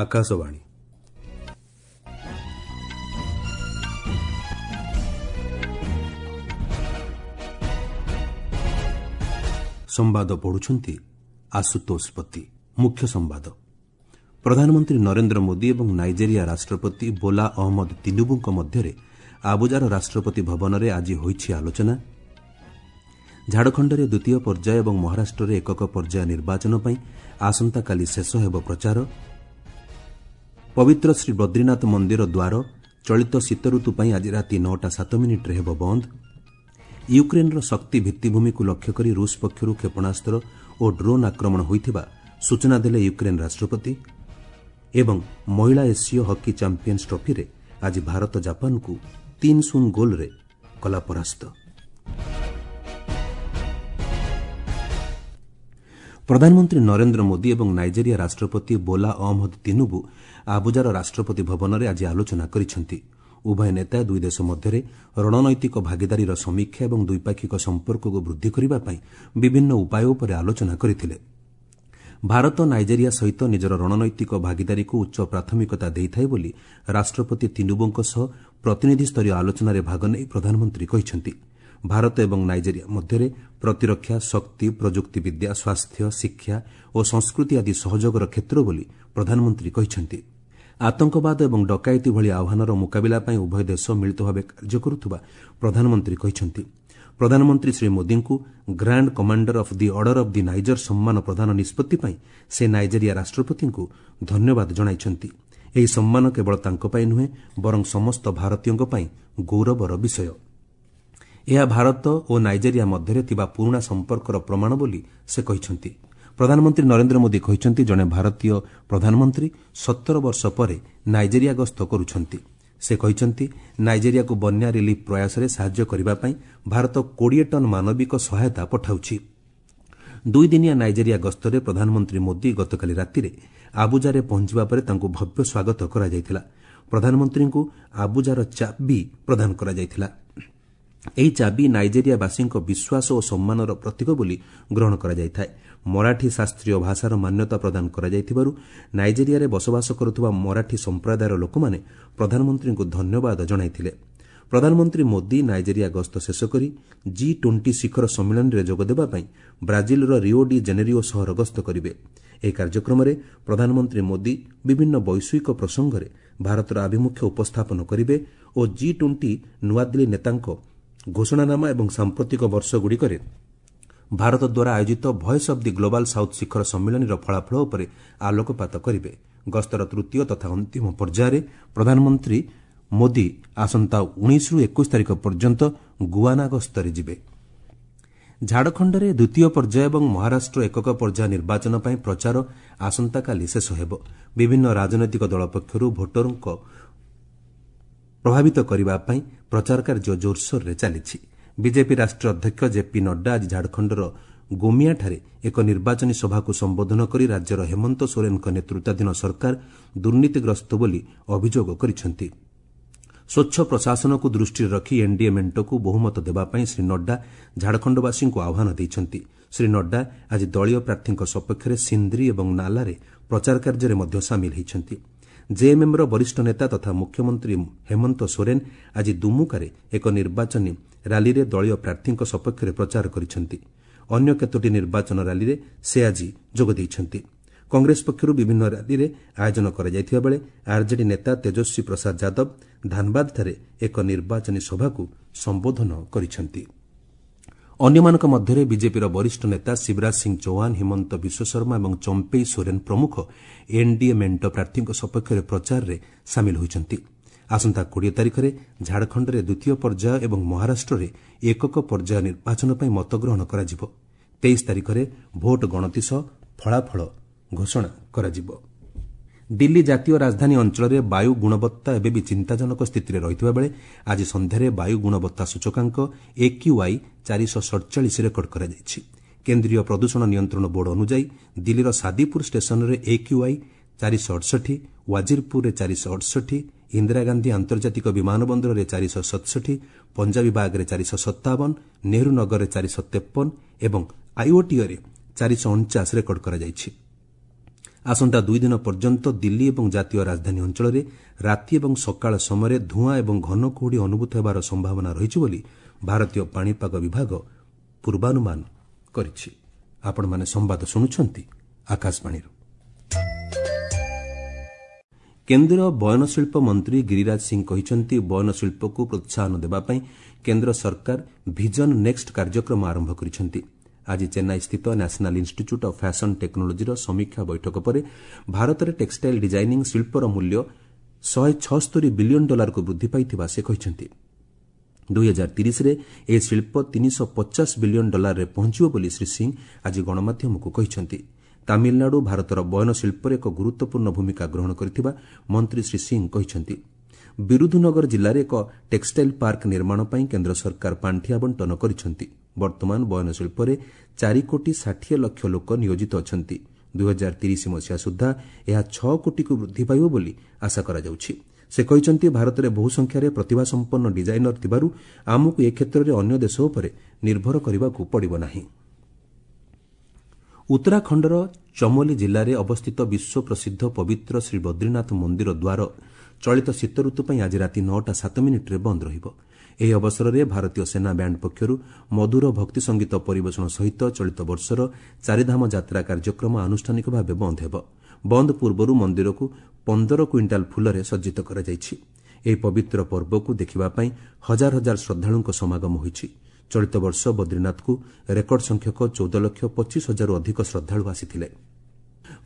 ଆକାଶବାଣୀ। ସମ୍ବାଦ ପଢ଼ୁଛନ୍ତି ଆଶୁତୋଷ ପତି। ମୁଖ୍ୟ ସମ୍ବାଦ। ପ୍ରଧାନମନ୍ତ୍ରୀ ନରେନ୍ଦ୍ର ମୋଦି ଏବଂ ନାଇଜେରିଆ ରାଷ୍ଟ୍ରପତି ବୋଲା ଅହମ୍ମଦ ତିନୁବୁଙ୍କ ମଧ୍ୟରେ ଆବୁଜାର ରାଷ୍ଟ୍ରପତି ଭବନରେ ଆଜି ହୋଇଛି ଆଲୋଚନା। ଝାଡ଼ଖଣ୍ଡରେ ଦ୍ୱିତୀୟ ପର୍ଯ୍ୟାୟ ଏବଂ ମହାରାଷ୍ଟ୍ରରେ ଏକକ ପର୍ଯ୍ୟାୟ ନିର୍ବାଚନ ପାଇଁ ଆସନ୍ତାକାଲି ଶେଷ ହେବ ପ୍ରଚାର। ପବିତ୍ର ଶ୍ରୀ ବଦ୍ରିନାଥ ମନ୍ଦିର ଦ୍ୱାର ଚଳିତ ଶୀତଋତୁ ପାଇଁ ଆଜି ରାତି 9ଟା 7 ମିନିଟ୍ରେ ହେବ ବନ୍ଦ। ୟୁକ୍ରେନ୍ର ଶକ୍ତି ଭିତ୍ତିଭୂମିକୁ ଲକ୍ଷ୍ୟ କରି ରୁଷ୍ ପକ୍ଷରୁ କ୍ଷେପଣାସ୍ତ୍ର ଓ ଡ୍ରୋନ୍ ଆକ୍ରମଣ ହୋଇଥିବା ସୂଚନା ଦେଲେ ୟୁକ୍ରେନ୍ ରାଷ୍ଟ୍ରପତି। ଏବଂ ମହିଳା ଏସୀୟ ହକି ଚାମ୍ପିୟନ୍ସ ଟ୍ରଫିରେ ଆଜି ଭାରତ ଜାପାନକୁ 3-0 ଗୋଲ୍ରେ କଲା ପରାସ୍ତ। ପ୍ରଧାନମନ୍ତ୍ରୀ ନରେନ୍ଦ୍ର ମୋଦି ଏବଂ ନାଇଜେରିଆ ରାଷ୍ଟ୍ରପତି ବୋଲା ଅହମ୍ମଦ ତିନୁବୁ ଆବୁଜାର ରାଷ୍ଟ୍ରପତି ଭବନରେ ଆଜି ଆଲୋଚନା କରିଛନ୍ତି। ଉଭୟ ନେତା ଦୁଇ ଦେଶ ମଧ୍ୟରେ ରଣନୈତିକ ଭାଗିଦାରୀର ସମୀକ୍ଷା ଏବଂ ଦ୍ୱିପାକ୍ଷିକ ସମ୍ପର୍କକୁ ବୃଦ୍ଧି କରିବା ପାଇଁ ବିଭିନ୍ନ ଉପାୟ ଉପରେ ଆଲୋଚନା କରିଥିଲେ। ଭାରତ ନାଇଜେରିଆ ସହିତ ନିଜର ରଣନୈତିକ ଭାଗିଦାରୀକୁ ଉଚ୍ଚ ପ୍ରାଥମିକତା ଦେଇଥାଏ ବୋଲି ରାଷ୍ଟ୍ରପତି ତିନୁବୁଙ୍କ ସହ ପ୍ରତିନିଧିସ୍ତରୀୟ ଆଲୋଚନାରେ ଭାଗ ନେଇ ପ୍ରଧାନମନ୍ତ୍ରୀ କହିଛନ୍ତି। ଭାରତ ଏବଂ ନାଇଜେରିଆ ମଧ୍ୟରେ ପ୍ରତିରକ୍ଷା, ଶକ୍ତି, ପ୍ରଯୁକ୍ତିବିଦ୍ୟା, ସ୍ୱାସ୍ଥ୍ୟ, ଶିକ୍ଷା ଓ ସଂସ୍କୃତି ଆଦି ସହଯୋଗର କ୍ଷେତ୍ର ବୋଲି ପ୍ରଧାନମନ୍ତ୍ରୀ କହିଛନ୍ତି। ଆତଙ୍କବାଦ ଏବଂ ଡକାୟତି ଭଳି ଆହ୍ୱାନର ମୁକାବିଲା ପାଇଁ ଉଭୟ ଦେଶ ମିଳିତ ଭାବେ କାର୍ଯ୍ୟ କରୁଥିବା ପ୍ରଧାନମନ୍ତ୍ରୀ କହିଛନ୍ତି। ପ୍ରଧାନମନ୍ତ୍ରୀ ଶ୍ରୀ ମୋଦିଙ୍କୁ Grand Commander of the Order of the Niger ସମ୍ମାନ ପ୍ରଦାନ ନିଷ୍ପତ୍ତି ପାଇଁ ସେ ନାଇଜେରିଆ ରାଷ୍ଟ୍ରପତିଙ୍କୁ ଧନ୍ୟବାଦ ଜଣାଇଛନ୍ତି। ଏହି ସମ୍ମାନ କେବଳ ତାଙ୍କ ପାଇଁ ନୁହେଁ, ବରଂ ସମସ୍ତ ଭାରତୀୟଙ୍କ ପାଇଁ ଗୌରବର ବିଷୟ। ଏହା ଭାରତ ଓ ନାଇଜେରିଆ ମଧ୍ୟରେ ଥିବା ପୁରୁଣା ସମ୍ପର୍କର ପ୍ରମାଣ ବୋଲି ସେ କହିଛନ୍ତି। ପ୍ରଧାନମନ୍ତ୍ରୀ ନରେନ୍ଦ୍ର ମୋଦି କହିଛନ୍ତି, ଜଣେ ଭାରତୀୟ ପ୍ରଧାନମନ୍ତ୍ରୀ 17 ବର୍ଷ ପରେ ନାଇଜେରିଆ ଗସ୍ତ କରୁଛନ୍ତି। ସେ କହିଛନ୍ତି, ନାଇଜେରିଆକୁ ବନ୍ୟା ରିଲିଫ୍ ପ୍ରୟାସରେ ସାହାଯ୍ୟ କରିବା ପାଇଁ ଭାରତ 20 ଟନ୍ ମାନବିକ ସହାୟତା ପଠାଉଛି। ଦୁଇଦିନିଆ ନାଇଜେରିଆ ଗସ୍ତରେ ପ୍ରଧାନମନ୍ତ୍ରୀ ମୋଦି ଗତକାଲି ରାତିରେ ଆବୁଜାରେ ପହଞ୍ଚିବା ପରେ ତାଙ୍କୁ ଭବ୍ୟ ସ୍ୱାଗତ କରାଯାଇଥିଲା। ପ୍ରଧାନମନ୍ତ୍ରୀଙ୍କୁ ଆବୁଜାର ଚାବି ପ୍ରଦାନ କରାଯାଇଥିଲା। ଏହି ଚାବି ନାଇଜେରିଆବାସୀଙ୍କ ବିଶ୍ୱାସ ଓ ସମ୍ମାନର ପ୍ରତୀକ ବୋଲି ଗ୍ରହଣ କରାଯାଇଥାଏ। ମରାଠୀ ଶାସ୍ତ୍ରୀୟ ଭାଷାର ମାନ୍ୟତା ପ୍ରଦାନ କରାଯାଇଥିବାରୁ ନାଇଜେରିଆରେ ବସବାସ କରୁଥିବା ମରାଠୀ ସମ୍ପ୍ରଦାୟର ଲୋକମାନେ ପ୍ରଧାନମନ୍ତ୍ରୀଙ୍କୁ ଧନ୍ୟବାଦ ଜଣାଇଥିଲେ। ପ୍ରଧାନମନ୍ତ୍ରୀ ମୋଦି ନାଇଜେରିଆ ଗସ୍ତ ଶେଷ କରି ଜି-20 ଶିଖର ସମ୍ମିଳନୀରେ ଯୋଗଦେବା ପାଇଁ ବ୍ରାଜିଲର ରିଓ ଡି ଜେନେରିଓ ସହର ଗସ୍ତ କରିବେ। ଏହି କାର୍ଯ୍ୟକ୍ରମରେ ପ୍ରଧାନମନ୍ତ୍ରୀ ମୋଦି ବିଭିନ୍ନ ବୈଶ୍ୱିକ ପ୍ରସଙ୍ଗରେ ଭାରତର ଆଭିମୁଖ୍ୟ ଉପସ୍ଥାପନ କରିବେ ଓ ଜି-20 ନୂଆଦିଲ୍ଲୀ ନେତାଙ୍କ ଘୋଷଣାନାମା ଏବଂ ସାମ୍ପ୍ରତିକ ବର୍ଷଗୁଡ଼ିକରେ ଭାରତ ଦ୍ୱାରା ଆୟୋଜିତ Voice of the Global South ଶିଖର ସମ୍ମିଳନୀର ଫଳାଫଳ ଉପରେ ଆଲୋକପାତ କରିବେ। ଗସ୍ତର ତୃତୀୟ ତଥା ଅନ୍ତିମ ପର୍ଯ୍ୟାୟରେ ପ୍ରଧାନମନ୍ତ୍ରୀ ମୋଦି ଆସନ୍ତା 19ରୁ 21 ତାରିଖ ପର୍ଯ୍ୟନ୍ତ ଗୁଆନା ଗସ୍ତରେ ଯିବେ। ଝାଡ଼ଖଣ୍ଡରେ ଦ୍ୱିତୀୟ ପର୍ଯ୍ୟାୟ ଏବଂ ମହାରାଷ୍ଟ୍ର ଏକକ ପର୍ଯ୍ୟାୟ ନିର୍ବାଚନ ପାଇଁ ପ୍ରଚାର ଆସନ୍ତାକାଲି ଶେଷ ହେବ। ବିଭିନ୍ନ ରାଜନୈତିକ ଦଳ ପକ୍ଷରୁ ଭୋଟରଙ୍କ ପ୍ରଭାବିତ କରିବା ପାଇଁ ପ୍ରଚାର କାର୍ଯ୍ୟ ଜୋରସୋରରେ ଚାଲିଛି। ବିଜେପି ରାଷ୍ଟ୍ରୀୟ ଅଧ୍ୟକ୍ଷ ଜେପି ନଡ୍ଡା ଆଜି ଝାଡ଼ଖଣ୍ଡର ଗୋମିଆଠାରେ ଏକ ନିର୍ବାଚନୀ ସଭାକୁ ସମ୍ବୋଧନ କରି ରାଜ୍ୟର ହେମନ୍ତ ସୋରେନଙ୍କ ନେତୃତ୍ୱାଧୀନ ସରକାର ଦୁର୍ନୀତିଗ୍ରସ୍ତ ବୋଲି ଅଭିଯୋଗ କରିଛନ୍ତି। ସ୍ୱଚ୍ଛ ପ୍ରଶାସନକୁ ଦୃଷ୍ଟିରେ ରଖି ଏନ୍ଡିଏ ମେଣ୍ଟକୁ ବହୁମତ ଦେବା ପାଇଁ ଶ୍ରୀ ନଡ୍ଡା ଝାଡ଼ଖଣ୍ଡବାସୀଙ୍କୁ ଆହ୍ୱାନ ଦେଇଛନ୍ତି। ଶ୍ରୀ ନଡ୍ଡା ଆଜି ଦଳୀୟ ପ୍ରାର୍ଥୀଙ୍କ ସପକ୍ଷରେ ସିନ୍ଦ୍ରି ଏବଂ ନାଲାରେ ପ୍ରଚାର କାର୍ଯ୍ୟରେ ମଧ୍ୟ ସାମିଲ ହୋଇଛନ୍ତି। ଜେଏମ୍ଏମ୍ର ବରିଷ୍ଠ ନେତା ତଥା ମୁଖ୍ୟମନ୍ତ୍ରୀ ହେମନ୍ତ ସୋରେନ୍ ଆଜି ଦୁମୁକାରେ ଏକ ନିର୍ବାଚନୀ ର୍ୟାଲିରେ ଦଳୀୟ ପ୍ରାର୍ଥୀଙ୍କ ସପକ୍ଷରେ ପ୍ରଚାର କରିଛନ୍ତି। ଅନ୍ୟ କେତୋଟି ନିର୍ବାଚନ ର୍ୟାଲିରେ ସେ ଆଜି ଯୋଗ ଦେଇଛନ୍ତି। କଂଗ୍ରେସ ପକ୍ଷରୁ ବିଭିନ୍ନ ର୍ୟାଲିରେ ଆୟୋଜନ କରାଯାଇଥିବା ବେଳେ ଆର୍ଜେଡି ନେତା ତେଜସ୍ୱୀ ପ୍ରସାଦ ଯାଦବ ଧାନବାଦଠାରେ ଏକ ନିର୍ବାଚନୀ ସଭାକୁ ସମ୍ବୋଧନ କରିଛନ୍ତି। ଅନ୍ୟମାନଙ୍କ ମଧ୍ୟରେ ବିଜେପିର ବରିଷ୍ଠ ନେତା ଶିବରାଜ ସିଂ ଚୌହାନ, ହିମନ୍ତ ବିଶ୍ୱଶର୍ମା ଏବଂ ଚମ୍ପେଇ ସୋରେନ୍ ପ୍ରମୁଖ ଏନ୍ଡିଏ ମେଣ୍ଟ ପ୍ରାର୍ଥୀଙ୍କ ସପକ୍ଷରେ ପ୍ରଚାରରେ ସାମିଲ ହୋଇଛନ୍ତି। ଆସନ୍ତା 20 ତାରିଖରେ ଝାଡ଼ଖଣ୍ଡରେ ଦ୍ୱିତୀୟ ପର୍ଯ୍ୟାୟ ଏବଂ ମହାରାଷ୍ଟ୍ରରେ ଏକକ ପର୍ଯ୍ୟାୟ ନିର୍ବାଚନ ପାଇଁ ମତଗ୍ରହଣ କରାଯିବ। 23 ତାରିଖରେ ଭୋଟ ଗଣତି ସହ ଫଳାଫଳ ଘୋଷଣା କରାଯିବ। ଦିଲ୍ଲୀ ଜାତୀୟ ରାଜଧାନୀ ଅଞ୍ଚଳରେ ବାୟୁ ଗୁଣବତ୍ତା ଏବେ ବି ଚିନ୍ତାଜନକ ସ୍ଥିତିରେ ରହିଥିବା ବେଳେ ଆଜି ସନ୍ଧ୍ୟାରେ ବାୟୁ ଗୁଣବତ୍ତା ସୂଚକାଙ୍କ ଏକ୍ୟୁଆଇ 447 ରେକର୍ଡ କରାଯାଇଛି। କେନ୍ଦ୍ରୀୟ ପ୍ରଦୂଷଣ ନିୟନ୍ତ୍ରଣ ବୋର୍ଡ ଅନୁଯାୟୀ ଦିଲ୍ଲୀର ସାଦିପୁର ଷ୍ଟେସନରେ ଏକ୍ୟୁଆଇ 468, ୱାଜିରପୁରରେ 468, ଇନ୍ଦିରାଗାନ୍ଧୀ ଆନ୍ତର୍ଜାତିକ ବିମାନ ବନ୍ଦରରେ 467, ପଞ୍ଜାବୀ ବାଗରେ 457, ନେହେରୁ ନଗରରେ 453 ଏବଂ ଆଇଓଟିଓରେ 449 ରେକର୍ଡ କରାଯାଇଛି। ଆସନ୍ତା 2 ଦିନ ପର୍ଯ୍ୟନ୍ତ ଦିଲ୍ଲୀ ଏବଂ ଜାତୀୟ ରାଜଧାନୀ ଅଞ୍ଚଳରେ ରାତି ଏବଂ ସକାଳ ସମୟରେ ଧୂଆଁ ଏବଂ ଘନ କୁହୁଡ଼ି ଅନୁଭୂତ ହେବାର ସମ୍ଭାବନା ରହିଛି ବୋଲି ଭାରତୀୟ ପାଣିପାଗ ବିଭାଗ ପୂର୍ବାନୁମାନ କରିଛି। ଆପଣମାନେ ସମ୍ବାଦ ଶୁଣୁଛନ୍ତି ଆକାଶବାଣୀରୁ। କେନ୍ଦ୍ର ବୟନଶିଳ୍ପ ମନ୍ତ୍ରୀ ଗିରିରାଜ ସିଂ କହିଛନ୍ତି, ବୟନଶିଳ୍ପକୁ ପ୍ରୋତ୍ସାହନ ଦେବା ପାଇଁ କେନ୍ଦ୍ର ସରକାର ଭିଜନ ନେକ୍ସଟ କାର୍ଯ୍ୟକ୍ରମ ଆରମ୍ଭ କରିଛନ୍ତି। ଆଜି ଚେନ୍ନାଇସ୍ଥିତ ନ୍ୟାସନାଲ୍ ଇନ୍ଷ୍ଟିଚ୍ୟୁଟ୍ ଅଫ୍ ଫ୍ୟାସନ୍ ଟେକ୍ନୋଲୋଜିର ସମୀକ୍ଷା ବୈଠକ ପରେ ଭାରତରେ ଟେକ୍ସଟାଇଲ୍ ଡିଜାଇନିଂ ଶିଳ୍ପର ମୂଲ୍ୟ 176 ବିଲିୟନ୍ ଡଲାରକୁ ବୃଦ୍ଧି ପାଇଥିବା ସେ କହିଛନ୍ତି। 2030ରେ ଏହି ଶିଳ୍ପ 350 ବିଲିୟନ୍ ଡଲାରରେ ପହଞ୍ଚିବ ବୋଲି ଶ୍ରୀ ସିଂ ଆଜି ଗଣମାଧ୍ୟମକୁ କହିଛନ୍ତି। ତାମିଲନାଡୁ ଭାରତର ବୟନ ଶିଳ୍ପରେ ଏକ ଗୁରୁତ୍ୱପୂର୍ଣ୍ଣ ଭୂମିକା ଗ୍ରହଣ କରିଥିବା ମନ୍ତ୍ରୀ ଶ୍ରୀ ସିଂ କହିଛନ୍ତି। ବିରୁଧୁନଗର ଜିଲ୍ଲାରେ ଏକ ଟେକ୍ସଟାଇଲ୍ ପାର୍କ ନିର୍ମାଣ ପାଇଁ କେନ୍ଦ୍ର ସରକାର ପାଣ୍ଠି ଆବଣ୍ଟନ କରିଛନ୍ତି। ବର୍ତ୍ତମାନ ବୟନ ଶିଳ୍ପରେ 4 କୋଟି 60 ଲକ୍ଷ ଲୋକ ନିୟୋଜିତ ଅଛନ୍ତି। 2030 ମସିହା ସୁଦ୍ଧା ଏହା 6 କୋଟିକୁ ବୃଦ୍ଧି ପାଇବ ବୋଲି ଆଶା କରାଯାଉଛି। ସେ କହିଛନ୍ତି, ଭାରତରେ ବହୁ ସଂଖ୍ୟାରେ ପ୍ରତିଭାସମ୍ପନ୍ନ ଡିଜାଇନର ଥିବାରୁ ଆମକୁ ଏ କ୍ଷେତ୍ରରେ ଅନ୍ୟ ଦେଶ ଉପରେ ନିର୍ଭର କରିବାକୁ ପଡ଼ିବ ନାହିଁ। ଉତ୍ତରାଖଣ୍ଡର ଚମୋଲି ଜିଲ୍ଲାରେ ଅବସ୍ଥିତ ବିଶ୍ୱ ପ୍ରସିଦ୍ଧ ପବିତ୍ର ଶ୍ରୀ ବଦ୍ରିନାଥ ମନ୍ଦିର ଦ୍ୱାର ଚଳିତ ଶୀତଋତୁ ପାଇଁ ଆଜି ରାତି 9ଟା 7 ମିନିଟ୍ରେ ବନ୍ଦ ରହିବ। ଏହି ଅବସରରେ ଭାରତୀୟ ସେନା ବ୍ୟାଣ୍ଡ ପକ୍ଷରୁ ମଧୁର ଭକ୍ତି ସଙ୍ଗୀତ ପରିବେଷଣ ସହିତ ଚଳିତ ବର୍ଷର ଚାରିଧାମ ଯାତ୍ରା କାର୍ଯ୍ୟକ୍ରମ ଆନୁଷ୍ଠାନିକ ଭାବେ ବନ୍ଦ ହେବ। ବନ୍ଦ ପୂର୍ବରୁ ମନ୍ଦିରକୁ 15 କୁଇଣ୍ଟାଲ ଫୁଲରେ ସଜ୍ଜିତ କରାଯାଇଛି। ଏହି ପବିତ୍ର ପର୍ବକୁ ଦେଖିବା ପାଇଁ ହଜାର ହଜାର ଶ୍ରଦ୍ଧାଳୁଙ୍କ ସମାଗମ ହୋଇଛି। ଚଳିତ ବର୍ଷ ବଦ୍ରିନାଥକୁ ରେକର୍ଡ ସଂଖ୍ୟକ 14 ଲକ୍ଷ 25 ହଜାରରୁ ଅଧିକ ଶ୍ରଦ୍ଧାଳୁ ଆସିଥିଲେ।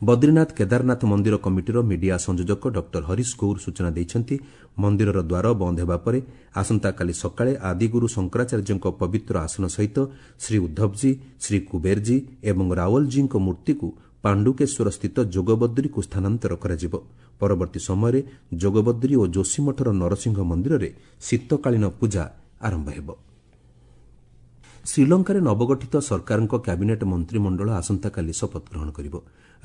ବଦ୍ରିନାଥ କେଦାରନାଥ ମନ୍ଦିର କମିଟିର ମିଡିଆ ସଂଯୋଜକ ଡକ୍ଟର ହରିଶ ଗୌର ସୂଚନା ଦେଇଛନ୍ତି, ମନ୍ଦିରର ଦ୍ୱାର ବନ୍ଦ ହେବା ପରେ ଆସନ୍ତାକାଲି ସକାଳେ ଆଦିଗୁରୁ ଶଙ୍କରାଚାର୍ଯ୍ୟଙ୍କ ପବିତ୍ର ଆସନ ସହିତ ଶ୍ରୀ ଉଦ୍ଧବଜୀ, ଶ୍ରୀ କୁବେରଜୀ ଏବଂ ରାଓ୍ୱଲଜୀଙ୍କ ମୂର୍ତ୍ତିକୁ ପାଣ୍ଡୁକେଶ୍ୱର ସ୍ଥିତ ଯୋଗବଦ୍ରୀକୁ ସ୍ଥାନାନ୍ତର କରାଯିବ। ପରବର୍ତ୍ତୀ ସମୟରେ ଯୋଗବଦ୍ରୀ ଓ ଯୋଶୀମଠର ନରସିଂହ ମନ୍ଦିରରେ ଶୀତକାଳୀନ ପୂଜା ଆରମ୍ଭ ହେବ। ଶ୍ରୀଲଙ୍କାରେ ନବଗଠିତ ସରକାରଙ୍କ କ୍ୟାବିନେଟ୍ ମନ୍ତ୍ରିମଣ୍ଡଳ ଆସନ୍ତାକାଲି ଶପଥ ଗ୍ରହଣ କରିବ।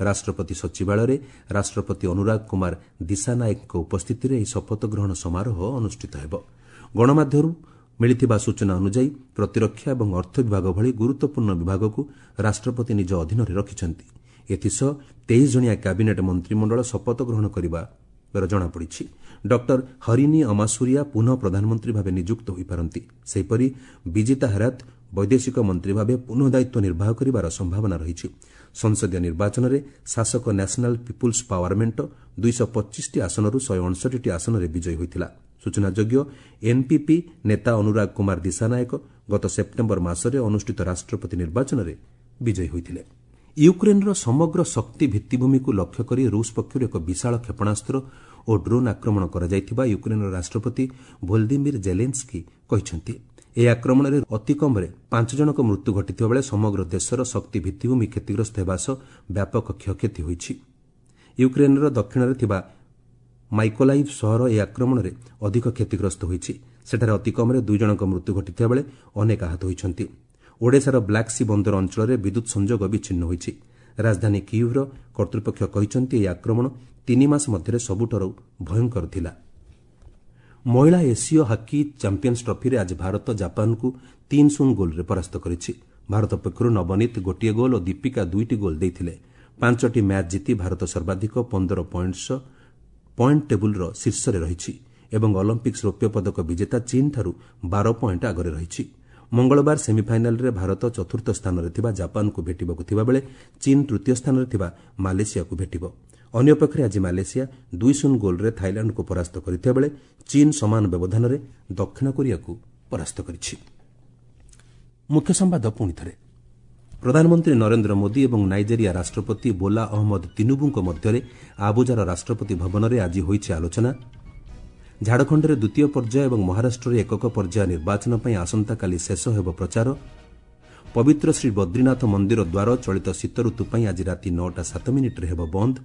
ରାଷ୍ଟ୍ରପତି ସଚିବାଳୟରେ ରାଷ୍ଟ୍ରପତି ଅନୁରାଗ କୁମାର ଦିଶାନାୟକଙ୍କ ଉପସ୍ଥିତିରେ ଏହି ଶପଥ ଗ୍ରହଣ ସମାରୋହ ଅନୁଷ୍ଠିତ ହେବ। ଗଣମାଧ୍ୟମରୁ ମିଳିଥିବା ସୂଚନା ଅନୁଯାୟୀ, ପ୍ରତିରକ୍ଷା ଏବଂ ଅର୍ଥ ବିଭାଗ ଭଳି ଗୁରୁତ୍ୱପୂର୍ଣ୍ଣ ବିଭାଗକୁ ରାଷ୍ଟ୍ରପତି ନିଜ ଅଧୀନରେ ରଖିଛନ୍ତି। ଏଥିସହ 23 ଜଣିଆ କ୍ୟାବିନେଟ୍ ମନ୍ତ୍ରିମଣ୍ଡଳ ଶପଥ ଗ୍ରହଣ କରିବାର ଜଣାପଡ଼ିଛି। ଡକ୍ଟର ହରିନି ଅମାସୁରିଆ ପୁନଃ ପ୍ରଧାନମନ୍ତ୍ରୀ ଭାବେ ନିଯୁକ୍ତ ହୋଇପାରନ୍ତି। ସେହିପରି ବିଜିତା ହେରାତ ବୈଦେଶିକ ମନ୍ତ୍ରୀ ଭାବେ ପୁନଃ ଦାୟିତ୍ୱ ନିର୍ବାହ କରିବାର ସମ୍ଭାବନା ରହିଛି। ସଂସଦୀୟ ନିର୍ବାଚନରେ ଶାସକ ନ୍ୟାସନାଲ୍ ପିପୁଲ୍ସ ପାୱାର ମେଣ୍ଟ 225ଟି ଆସନରୁ 159ଟି ଆସନରେ ବିଜୟୀ ହୋଇଥିଲା। ସୂଚନାଯୋଗ୍ୟ, ଏନ୍ପିପି ନେତା ଅନୁରାଗ କୁମାର ଦିଶାନାୟକ ଗତ ସେପ୍ଟେମ୍ବର ମାସରେ ଅନୁଷ୍ଠିତ ରାଷ୍ଟ୍ରପତି ନିର୍ବାଚନରେ ବିଜୟୀ ହୋଇଥିଲେ। ୟୁକ୍ରେନ୍ର ସମଗ୍ର ଶକ୍ତି ଭିତ୍ତିଭୂମିକୁ ଲକ୍ଷ୍ୟ କରି ରୁଷ ପକ୍ଷରୁ ଏକ ବିଶାଳ କ୍ଷେପଣାସ୍ତ୍ର ଓ ଡ୍ରୋନ୍ ଆକ୍ରମଣ କରାଯାଇଥିବା ୟୁକ୍ରେନ୍ର ରାଷ୍ଟ୍ରପତି ଭୋଲଦିମିର୍ ଜେଲେନ୍ସ୍କି କହିଛନ୍ତି। ଏହି ଆକ୍ରମଣରେ ଅତି କମ୍ରେ ପାଞ୍ଚ ଜଣଙ୍କ ମୃତ୍ୟୁ ଘଟିଥିବା ବେଳେ ସମଗ୍ର ଦେଶର ଶକ୍ତି ଭିତ୍ତିଭୂମି କ୍ଷତିଗ୍ରସ୍ତ ହେବା ସହ ବ୍ୟାପକ କ୍ଷୟକ୍ଷତି ହୋଇଛି। ୟୁକ୍ରେନ୍ର ଦକ୍ଷିଣରେ ଥିବା ମାଇକୋଲାଇଭ୍ ସହର ଏହି ଆକ୍ରମଣରେ ଅଧିକ କ୍ଷତିଗ୍ରସ୍ତ ହୋଇଛି। ସେଠାରେ ଅତି କମ୍ରେ ଦୁଇ ଜଣଙ୍କ ମୃତ୍ୟୁ ଘଟିଥିବା ବେଳେ ଅନେକ ଆହତ ହୋଇଛନ୍ତି। ଓଡେଶାର ବ୍ଲାକ୍ ସି ବନ୍ଦର ଅଞ୍ଚଳରେ ବିଦ୍ୟୁତ୍ ସଂଯୋଗ ବିଚ୍ଛିନ୍ନ ହୋଇଛି। ରାଜଧାନୀ କିୟୁଭ୍ର କର୍ତ୍ତୃପକ୍ଷ କହିଛନ୍ତି, ଏହି ଆକ୍ରମଣ 3 ମାସ ମଧ୍ୟରେ ସବୁଠାରୁ ଭୟଙ୍କର ଥିଲା। ମହିଳା ଏସୀୟ ହକି ଚାମ୍ପିୟନ୍ସ ଟ୍ରଫିରେ ଆଜି ଭାରତ ଜାପାନକୁ 3-0 ଗୋଲ୍ରେ ପରାସ୍ତ କରିଛି। ଭାରତ ପକ୍ଷରୁ ନବନୀତ ଗୋଟିଏ ଗୋଲ୍ ଓ ଦୀପିକା ଦୁଇଟି ଗୋଲ୍ ଦେଇଥିଲେ। ପାଞ୍ଚଟି ମ୍ୟାଚ୍ ଜିତି ଭାରତ ସର୍ବାଧିକ 15 ପଏଣ୍ଟ ସହ ପଏଣ୍ଟ ଟେବୁଲ୍ର ଶୀର୍ଷରେ ରହିଛି ଏବଂ ଅଲିମ୍ପିକ୍ସ ରୌପ୍ୟ ପଦକ ବିଜେତା ଚୀନ୍ଠାରୁ 12 ପଏଣ୍ଟ ଆଗରେ ରହିଛି। ମଙ୍ଗଳବାର ସେମିଫାଇନାଲ୍ରେ ଭାରତ ଚତୁର୍ଥ ସ୍ଥାନରେ ଥିବା ଜାପାନକୁ ଭେଟିବାକୁ ଥିବାବେଳେ ଚୀନ୍ ତୃତୀୟ ସ୍ଥାନରେ ଥିବା ମାଲେସିଆକୁ ଭେଟିବ। ଅନ୍ୟପକ୍ଷରେ ଆଜି ମାଲେସିଆ 2-0 ଗୋଲ୍ରେ ଥାଇଲାଣ୍ଡକୁ ପରାସ୍ତ କରିଥିବା ବେଳେ ଚୀନ୍ ସମାନ ବ୍ୟବଧାନରେ ଦକ୍ଷିଣ କୋରିଆକୁ ପରାସ୍ତ କରିଛି। ମୁଖ୍ୟ ସମ୍ବାଦ ପୁଣି ଥରେ। ପ୍ରଧାନମନ୍ତ୍ରୀ ନରେନ୍ଦ୍ର ମୋଦି ଏବଂ ନାଇଜେରିଆ ରାଷ୍ଟ୍ରପତି ବୋଲା ଅହମ୍ମଦ ତିନୁବୁଙ୍କ ମଧ୍ୟରେ ଆବୁଜାର ରାଷ୍ଟ୍ରପତି ଭବନରେ ଆଜି ହୋଇଛି ଆଲୋଚନା। ଝାଡ଼ଖଣ୍ଡରେ ଦ୍ୱିତୀୟ ପର୍ଯ୍ୟାୟ ଏବଂ ମହାରାଷ୍ଟ୍ରରେ ଏକକ ପର୍ଯ୍ୟାୟ ନିର୍ବାଚନ ପାଇଁ ଆସନ୍ତାକାଲି ଶେଷ ହେବ ପ୍ରଚାର। ପବିତ୍ର ଶ୍ରୀ ବଦ୍ରିନାଥ ମନ୍ଦିର ଦ୍ୱାର ଚଳିତ ଶୀତଋତୁ ପାଇଁ ଆଜି ରାତି 9ଟା 7 ମିନିଟ୍ରେ ହେବ ବନ୍ଦ।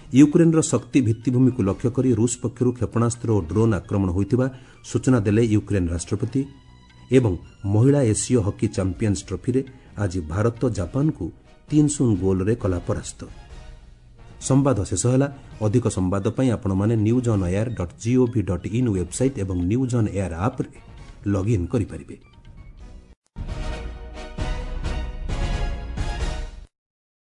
ୟୁକ୍ରେନ୍ର ଶକ୍ତି ଭିତ୍ତିଭୂମିକୁ ଲକ୍ଷ୍ୟ କରି ରୁଷ ପକ୍ଷରୁ କ୍ଷେପଣାସ୍ତ୍ର ଓ ଡ୍ରୋନ୍ ଆକ୍ରମଣ ହୋଇଥିବା ସୂଚନା ଦେଲେ ୟୁକ୍ରେନ୍ ରାଷ୍ଟ୍ରପତି। ଏବଂ ମହିଳା ଏସୀୟ ହକି ଚାମ୍ପିୟନ୍ସ ଟ୍ରଫିରେ ଆଜି ଭାରତ ଜାପାନକୁ 3-0 ଗୋଲ୍ରେ କଲା ପରାସ୍ତ। ସମ୍ବାଦ ଶେଷ ହେଲା। ଅଧିକ ସମ୍ବାଦ ପାଇଁ ଆପଣମାନେ newsonair.gov.in website ଏବଂ ନ୍ୟୁଜ୍ ଅନ୍ ଏୟାର ଆପ୍ରେ ଲଗ୍ଇନ୍ କରିପାରିବେ।